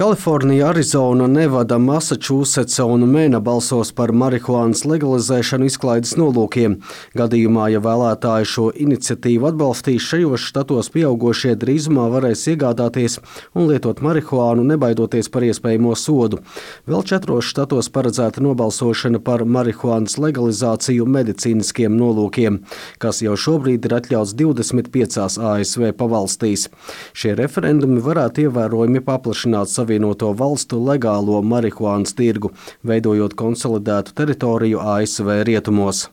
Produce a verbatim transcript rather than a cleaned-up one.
Kalifornija, Arizona, Nevada, Masačūsetsa un Mēna balsos par marihuānas legalizēšanu izklaides nolūkiem. Gadījumā, ja vēlētāji šo iniciatīvu atbalstīs, šajos štatos pieaugušie drīzumā varēs iegādāties un lietot marihuānu, nebaidoties par iespējamo sodu. Vēl četros štatos paredzēta nobalsošana par marihuānas legalizāciju medicīniskiem nolūkiem, kas jau šobrīd ir atļauts divdesmit piecās A S V pavalstīs. Šie referendumi varētu ievērojami paplašināt Savienoto valstu legālo marihuānas tirgu, veidojot konsolidētu teritoriju A S V rietumos.